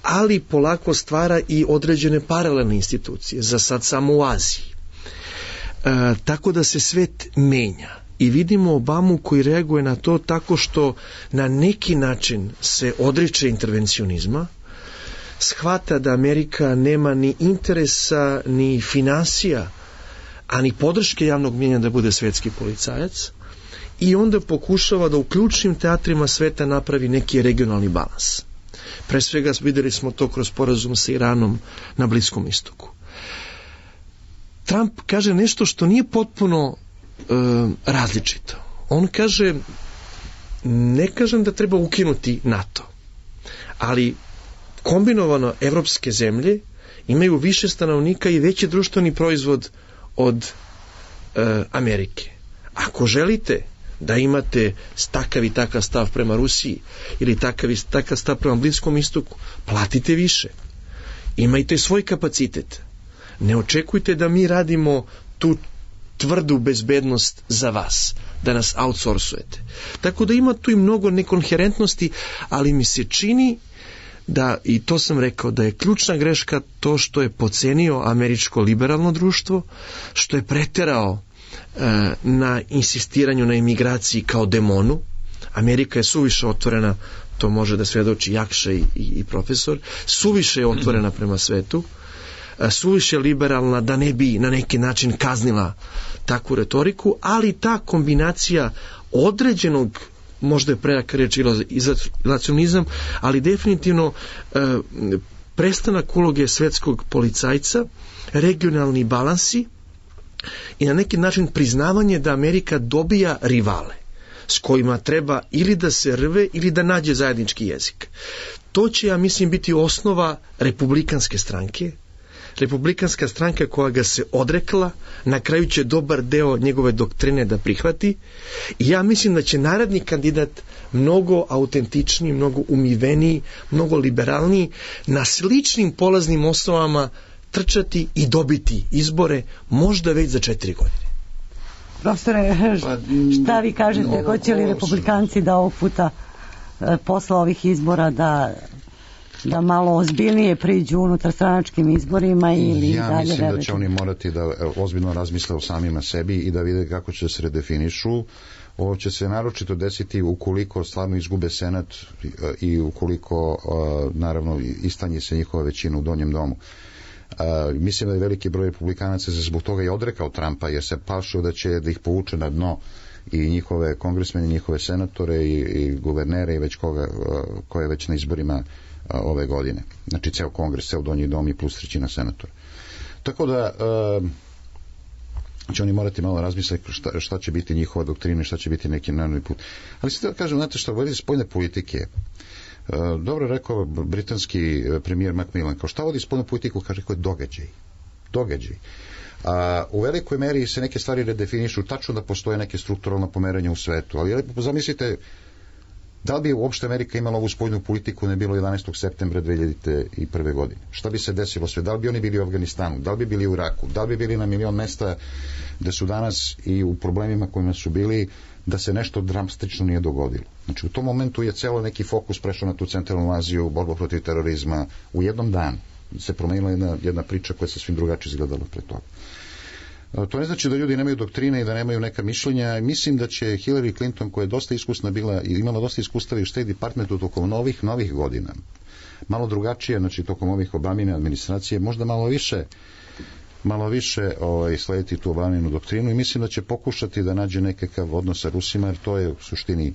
Speaker 7: ali polako stvara i određene paralelne institucije, za sad samo u Aziji. Tako da se svet menja i vidimo Obamu koji reaguje na to tako što na neki način se odriče intervencionizma, shvata da Amerika nema ni interesa, ni finansija, a ni podrške javnog mnjenja da bude svetski policajac, i onda pokušava da u ključnim teatrima sveta napravi neki regionalni balans. Pre svega videli smo to kroz sporazum sa Iranom na Bliskom istoku. Trump kaže nešto što nije potpuno različito. On kaže, ne kažem da treba ukinuti NATO, ali kombinovano evropske zemlje imaju više stanovnika i veći društveni proizvod od Amerike. Ako želite da imate takav i takav stav prema Rusiji ili takav i takav stav prema Bliskom istoku, platite više. Imajte svoj kapacitet. Ne očekujte da mi radimo tu tvrdu bezbednost za vas, da nas outsourcujete. Tako da ima tu i mnogo nekonherentnosti, ali mi se čini da, i to sam rekao, da je ključna greška to što je pocenio američko liberalno društvo, što je preterao na insistiranju na imigraciji kao demonu. Amerika je suviše otvorena, to može da svedoči Jakša i profesor, suviše je otvorena prema svetu, suviše liberalna da ne bi na neki način kaznila takvu retoriku, ali ta kombinacija određenog, možda je prejaka reč izolacionizam, ali definitivno prestanak uloge svetskog policajca, regionalni balansi i na neki način priznavanje da Amerika dobija rivale s kojima treba ili da se rve ili da nađe zajednički jezik. To će, ja mislim, biti osnova republikanske stranke. Republikanska stranka koja ga se odrekla, na kraju će dobar deo njegove doktrine da prihvati, i ja mislim da će naredni kandidat mnogo autentičniji, mnogo umiveniji, mnogo liberalniji, na sličnim polaznim osnovama trčati i dobiti izbore, možda već za 4 godine.
Speaker 4: Profesore, šta vi kažete, hoće li republikanci da ovog puta posle ovih izbora da malo ozbiljnije priđu unutar stranačkim izborima ili
Speaker 6: ja
Speaker 4: dalje?
Speaker 6: Mislim da će oni morati da ozbiljno razmisle o samima sebi i da vide kako će se redefinišu. Ovo će se naročito desiti ukoliko stvarno izgube Senat i ukoliko naravno istanji se njihova većina u Donjem domu. Mislim da je veliki broj republikanaca se zbog toga i odrekao Trumpa, jer se plašio da ih povuče na dno i njihove kongresmene, njihove senatore i guvernere i već ko je već na izborima ove godine. Znači ceo kongres, ceo Donji dom i plus 1/3 senatora. Tako da će oni morati malo razmisliti šta će biti njihova doktrina, šta će biti neki narodni put. Ali se da kažem, znate što, vodi spoljne politike. Dobro rekao britanski premijer Macmillan, kao šta vodi spoljnu politiku, kaže, kao događaj. U velikoj meri se neke stvari redefinišu, tačno da postoje neke strukturalna pomeranja u svetu, ali zamislite, da li bi uopšte Amerika imala ovu spoljnu politiku ne bilo 11. septembra 2001. godine? Šta bi se desilo sve? Da li bi oni bili u Afganistanu? Da li bi bili u Iraku? Da li bi bili na milion mesta da su danas i u problemima kojima su bili, da se nešto dramatično nije dogodilo? Znači u tom momentu je celo neki fokus prešao na tu centralnu Aziju, borbu protiv terorizma. U jednom danu se promenila jedna priča koja se svim drugačije izgledala pre toga. To ne znači da ljudi nemaju doktrine i da nemaju neka mišljenja. Mislim da će Hillary Clinton, koja je dosta iskusna bila i imala dosta iskustava u State Departmentu tokom novih godina, malo drugačije, znači tokom ovih Obamine administracije, možda malo više slediti tu Obaminu doktrinu i mislim da će pokušati da nađe nekakav odnos sa Rusima, jer to je u suštini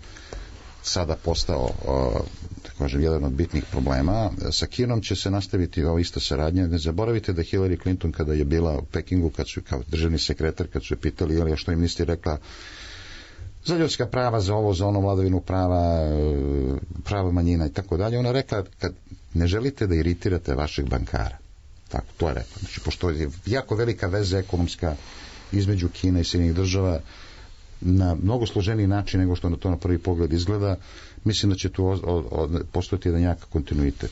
Speaker 6: sada postao jedan od bitnih problema. Sa Kinom će se nastaviti ova ista saradnja. Ne zaboravite da Hillary Clinton kada je bila u Pekingu, kad su kao državni sekretar, kad su je pitali što im niste rekla za ljudska prava, za ovo, za ono, vladavinu prava manjina i tako dalje, ona rekla, kad ne želite da iritirate vašeg bankara. Tako, to je rekla. Znači, pošto je jako velika veza ekonomska između Kine i Sjedinjenih država na mnogo složeniji način nego što na to na prvi pogled izgleda, mislim da će tu postojati jedan jak kontinuitet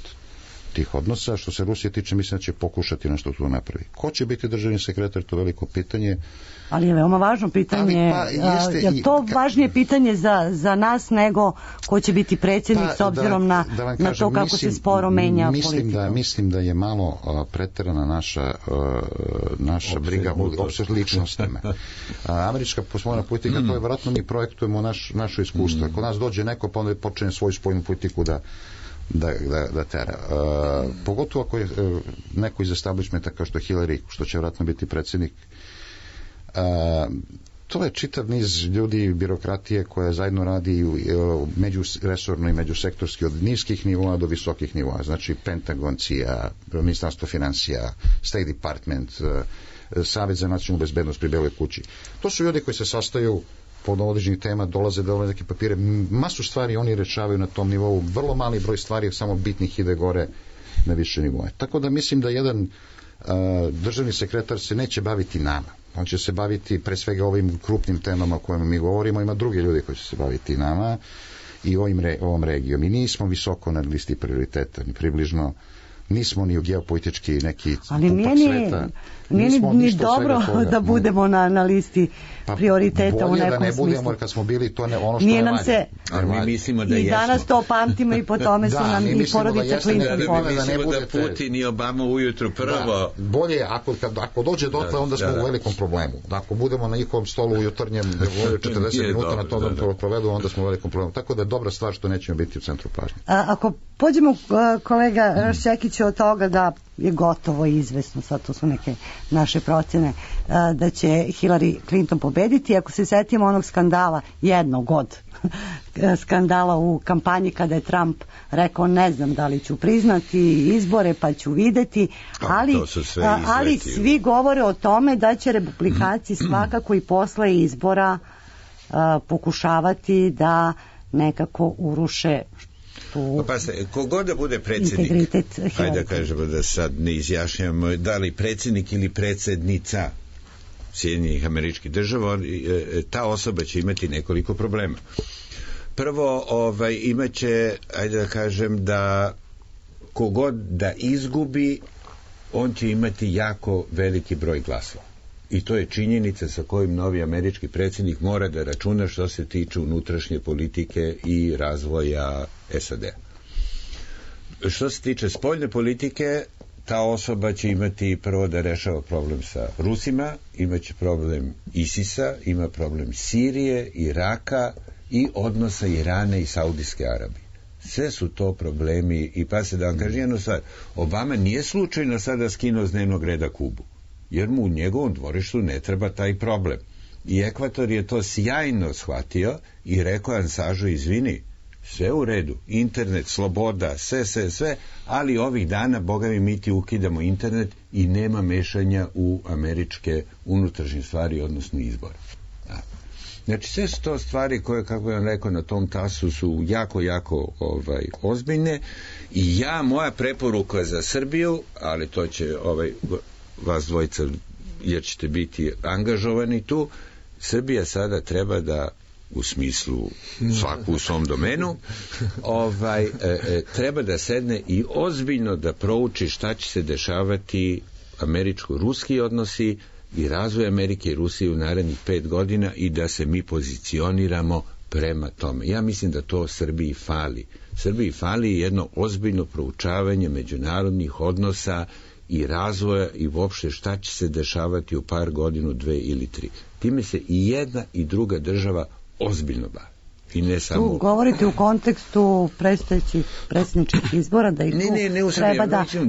Speaker 6: tih odnosa. Što se Rusije tiče, mislim da će pokušati nešto tu napravi. Ko će biti državni sekretar, to je veliko pitanje.
Speaker 4: Ali je veoma važno pitanje, je to važnije pitanje za nas nego ko će biti predsjednik s obzirom na to kako se sporo menja politika.
Speaker 6: Mislim da je malo preterana naša briga o ličnostima. Američka poslovna politika, to je vjerojatno mi projektujemo naše iskustvo. Ako nas dođe neko, pa onda počne svoju spoljnu politiku da tera. Pogotovo ako je neko iz establishmenta kao što je Hillary, što će vjerojatno biti predsjednik, to je čitav niz ljudi, birokratije koja zajedno radi međuresorno i međusektorski od niskih nivoa do visokih nivoa. Znači Pentagon, CIA, Ministarstvo financija, State Department, Savjet za nacionalnu bezbednost pri Beloj kući. To su ljudi koji se sastaju pod određenih tema, dolaze neke papire, masu stvari oni rešavaju na tom nivou, vrlo mali broj stvari samo bitnih ide gore na više nivoje. Tako da mislim da jedan državni sekretar se neće baviti nama. On će se baviti pre svega ovim krupnim temama o kojima mi govorimo, ima drugi ljudi koji će se baviti nama i ovom regijom. I nismo visoko na listi prioriteta, ni približno, nismo ni u geopolitički neki pupak sveta.
Speaker 4: Nije ni dobro da budemo na listi prioriteta u nekom smislu.
Speaker 6: Bolje da ne budemo, jer kad smo bili, to ne ono što ne valja.
Speaker 3: Ali mi mislimo da
Speaker 4: i danas to pamtimo i po tome su nam i porodica Clinton
Speaker 3: povezani. Mi mislimo da Putin i Obama ujutru prvo.
Speaker 6: Bolje, ako dođe dotle, onda smo u velikom problemu. Ako budemo na njihovom stolu u jutarnjem 40 minuta na to da provedu, onda smo u velikom problemu. Tako da je dobra stvar što nećemo biti u centru pažnje.
Speaker 4: Ako pođemo, kolega Šekiću, od toga da je gotovo i izvesno, sad to su neke naše procene, da će Hillary Clinton pobediti. Ako se setimo onog skandala, jednog od skandala u kampanji kada je Trump rekao ne znam da li ću priznati izbore pa ću videti, ali svi govore o tome da će republikanci svakako i posle izbora pokušavati da nekako uruše
Speaker 3: Pa se, kogod da bude predsjednik, hajde da kažemo da sad ne izjašnjamo da li predsjednik ili predsjednica Sjedinjenih Američkih Država, ta osoba će imati nekoliko problema. Prvo, imaće, hajde da kažem, da kogod da izgubi, on će imati jako veliki broj glasova. I to je činjenica sa kojim novi američki predsjednik mora da računa što se tiče unutrašnje politike i razvoja SAD. Što se tiče spoljne politike, ta osoba će imati prvo da rešava problem sa Rusima, imaće problem ISIS-a, ima problem Sirije, Iraka i odnosa Irana i Saudijske Arabije. Sve su to problemi i pa se da vam kažem jednu stvar, Obama nije slučajno sada skinuo s dnevnog reda Kubu, jer mu u njegovom dvorištu ne treba taj problem. I Ekvator je to sjajno shvatio i rekao Ansažu, izvini, sve u redu, internet, sloboda, sve, ali ovih dana, Boga mi ti ukidamo internet i nema mešanja u američke unutrašnje stvari, odnosno izbore. Znači, sve su to stvari koje, kako vam rekao, na tom tasu su jako ozbiljne i moja preporuka za Srbiju, ali to će vas dvojica, jer ćete biti angažovani tu, Srbija sada treba da, u smislu svaku u svom domenu, treba da sedne i ozbiljno da prouči šta će se dešavati američko-ruski odnosi i razvoj Amerike i Rusije u narednih 5 godina i da se mi pozicioniramo prema tome. Ja mislim da to Srbiji fali. Srbiji fali jedno ozbiljno proučavanje međunarodnih odnosa i razvoja i uopšte šta će se dešavati u par godinu, 2 ili 3. Time se i jedna i druga država ozbiljno bavi. i ne samo...
Speaker 4: Tu govorite u kontekstu predstojećih predsjedničkih izbora, da ih treba da će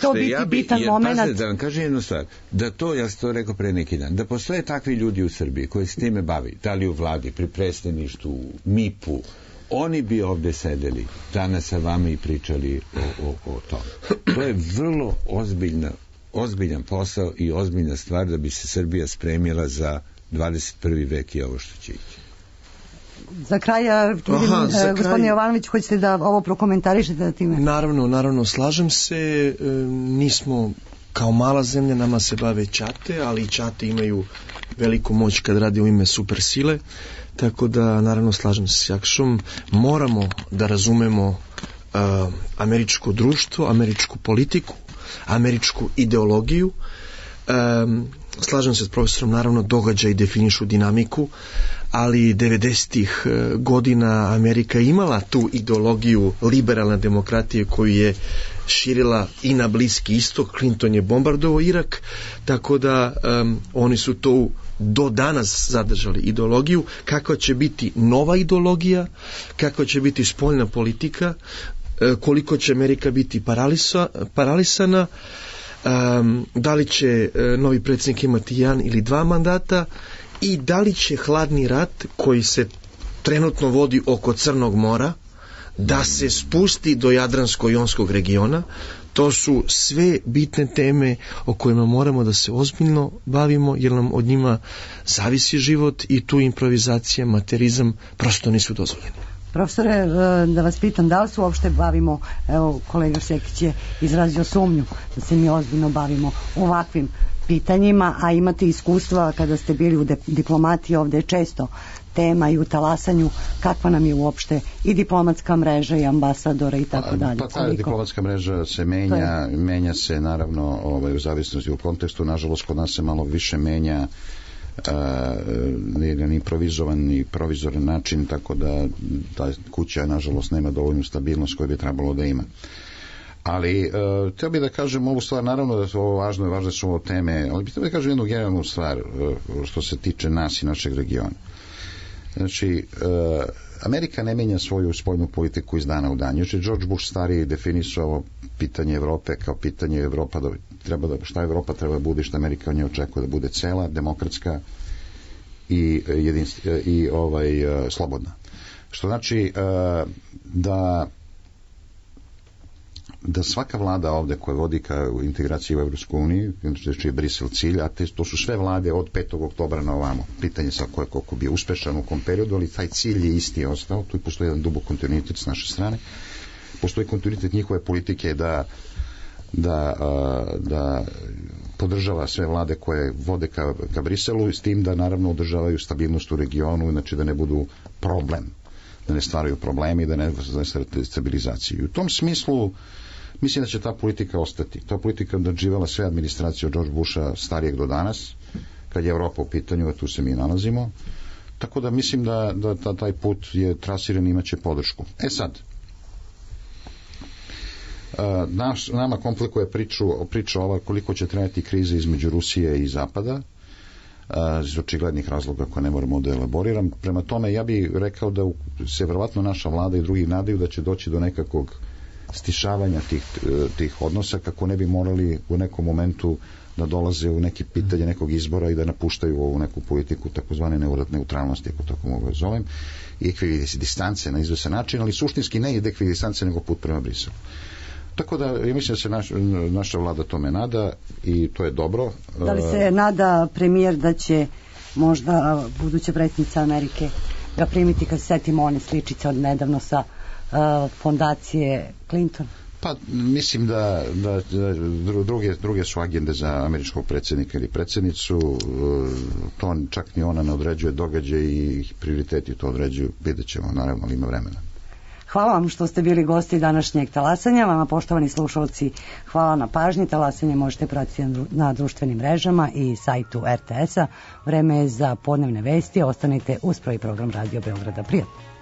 Speaker 4: to biti bitan moment.
Speaker 3: Da vam kažem jednu stvar, da to, ja sam to rekao pre neki dan, da postoje takvi ljudi u Srbiji koji se time bavi, da li u vladi, pri predstavništvu, MIP-u, oni bi ovde sedeli danas sa vama i pričali o tome. To je vrlo ozbiljan posao i ozbiljna stvar da bi se Srbija spremila za 21. vek i ovo što će ići.
Speaker 4: Za kraj, gospodin Jovanović, hoćete da ovo prokomentarišete da time?
Speaker 7: Naravno, slažem se, nismo kao mala zemlja, nama se bave ćate, ali i ćate imaju veliku moć kad radi u ime supersile, tako da naravno slažem se s Jakšom, moramo da razumemo američko društvo, američku politiku, američku ideologiju. Slažem se s profesorom, naravno događaji definišu dinamiku, ali 90-ih godina Amerika imala tu ideologiju liberalne demokratije koju je širila i na Bliski istok. Clinton je bombardovao Irak, tako da oni su to do danas zadržali ideologiju. Kakva će biti nova ideologija, kakva će biti spoljna politika, koliko će Amerika biti paralisana, da li će novi predsjednik imati 1 ili 2 mandata i da li će hladni rat koji se trenutno vodi oko Crnog mora da se spusti do Jadransko-jonskog regiona. To su sve bitne teme o kojima moramo da se ozbiljno bavimo, jer nam od njima zavisi život i tu improvizacija, materizam prosto nisu dozvoljeni.
Speaker 4: Profesore, da vas pitam, da li se uopšte bavimo, evo kolega Šekić je izrazio sumnju da se mi ozbiljno bavimo ovakvim pitanjima, a imate iskustva kada ste bili u diplomatiji, ovde je često tema i u talasanju, kakva nam je uopšte i diplomatska mreža i ambasadora i tako dalje.
Speaker 6: Pa ta diplomatska mreža se menja se naravno u zavisnosti u kontekstu, nažalost kod nas se malo više menja na improvizovan i provizoran način, tako da ta kuća nažalost nema dovoljnu stabilnost koju bi trebalo da ima. Ali htio bih da kažem ovu stvar, naravno da su ovo važne su ovo teme, ali bih htio da kažem jednu generalnu stvar što se tiče nas i našeg regiona. Znači, Amerika ne menja svoju spoljnu politiku iz dana u dan. Još je George Bush stariji definisao pitanje Evrope kao pitanje Evropa, šta Evropa treba da bude, što Amerika od nje očekuje da bude cela, demokratska i slobodna. Što znači da svaka vlada ovde koja vodi ka integraciji u Evropsku uniju, znači je Brisel cilj, a to su sve vlade od 5. oktobra na ovamo. Pitanje sa koliko bi uspešan u kom periodu, ali taj cilj je isti ostao. Tu postoji jedan dubok kontinuitet s naše strane. Postoji kontinuitet njihove politike da podržava sve vlade koje vode ka Briselu, s tim da naravno održavaju stabilnost u regionu, znači da ne budu problem, da ne stvaraju problemi, da ne stvaraju stabilizaciju. I u tom smislu mislim da će ta politika ostati. Ta politika održavala sve administracije od George Busha starijeg do danas, kad je Evropa u pitanju, a tu se mi nalazimo. Tako da mislim da taj put je trasiran i imaće podršku. Sad, nama komplikuje priča ova koliko će trajati kriza između Rusije i Zapada, iz očiglednih razloga koje ne moramo da elaboriram. Prema tome, ja bih rekao da se verovatno naša vlada i drugi nadaju da će doći do nekakvog stišavanja tih odnosa, kako ne bi morali u nekom momentu da dolaze u neke pitanje nekog izbora i da napuštaju ovu neku politiku takozvane neutralnosti, ako tako mogu da zovem, i ekvidistance na izvesan način, ali suštinski ne ide ekvidistance nego put prema Briselu. Tako da, ja mislim da se naša vlada tome nada i to je dobro.
Speaker 4: Da li se nada premijer da će možda buduća predsjednica Amerike ga primiti, kad se setimo one sličice od nedavno sa fondacije Clinton?
Speaker 6: Pa mislim da druge su agende za američkog predsjednika ili predsjednicu, to čak ni ona ne određuje, događaj i prioriteti to određuju, vidjet ćemo naravno, ali ima vremena.
Speaker 4: Hvala vam što ste bili gosti današnjeg talasanja. Vama, poštovani slušalci, hvala na pažnji. Talasanje možete pratiti na društvenim mrežama i sajtu RTS-a. Vreme je za podnevne vesti. Ostanite uz prvi program Radio Beograda. Prijatno.